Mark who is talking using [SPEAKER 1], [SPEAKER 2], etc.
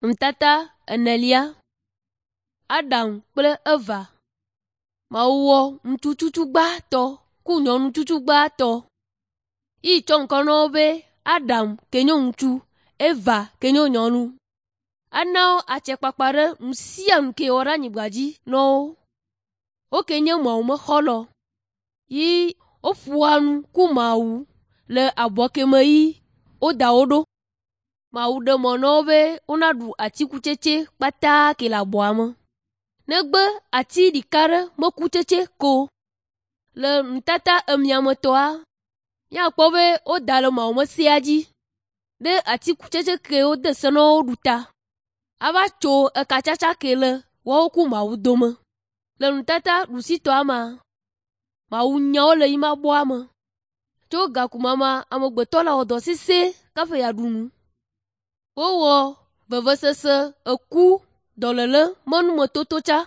[SPEAKER 1] Nutata enelia. Adam kple Eva. Mawu wɔ ŋutsu tsutsu gbãtɔ ku nyɔnu tsutsu gbãtɔ. Yi tsɔ ŋkɔ na wo be Adam ke nye ŋutsu, Eva ke nye nyɔnu. Ena wo atsekpakpa ɖe nu sia nu ke wɔ ɖe anyigba dzi na wo. Wo ke nye Mawu me xɔlɔ. Yi woƒoa nu ku Mawu le abɔ ke me yi woda wo ɖo. Mawu ɖe mɔ na wo be wonaɖu atikutsetse kpata ke le abɔa me. Negbe ati ɖeka ɖe mekutsetse ko. Le nutata emiametɔa, míakpɔ be woda le Mawu me sea dzi ɖe atikutsetse ke wode se na wo ɖu ta. Ava tso ekatsatsa ke le woawo ku Mawu dome. Le nutata ɖusitɔa mea, Mawu nya wo le yi ma bɔa me. Tso gakuma ma, amegbetɔ la wɔ dɔ sesẽ kaƒe yeaɖu nu. Wowɔ vevesese, eku, dɔléle me numetoto tsã.